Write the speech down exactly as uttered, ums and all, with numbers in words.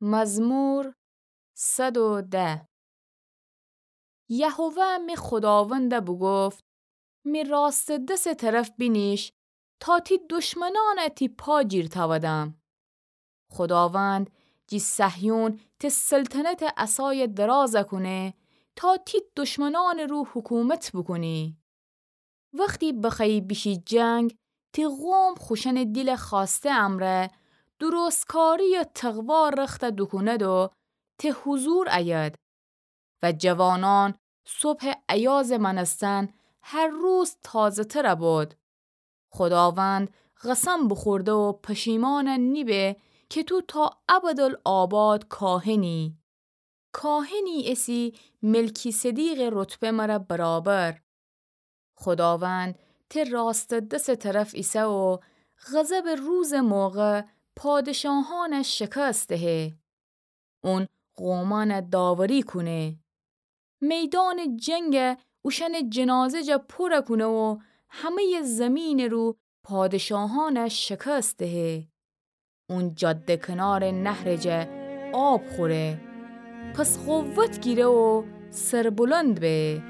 مزمور صد و ده. یهوه می خوداوندَ بوگفت: می راستٚ دسٚ طرف بینیش، تا تی دشمنأنَ تی پا جیر تأودم. خوداوند جی صهیون تی سلطنتٚ عصایَ دراز کونه، تا تی دشمنأنٚ رو حکومت بوکونی. وختی بخوأیی بیشی جنگ، تی قوم خوشأنٚ دیلٚ خوأسته امرأ، درستکاری و تقوا رختَ دوکوند و تی حضور أید. و جوانأن صبحٚ ایازٚ مأنستن هر روز تازه‌تر بود. خوداوند قسم بوخورده و پشیمأن نیبه که تو تا ابدالآباد کاهنی. کاهنی ایسی ملکی‌صدیقٚ رتبه مره برابر. خوداوند تی راستٚ دسٚ طرف ایسه و غضبٚ روزٚ موقع پادشاهأنَ شکست دهه. اون قومأنَ داوری کونه. میدانٚ جنگ اوشأنٚ جنازه جا پورَ کونه و همه‌یٚ زیمینٚ رو پادشاهأنَ شکست دهه. اون جاده کنارٚ نهرٚ جا آب خوره. پس قوت گیره و سربلند به.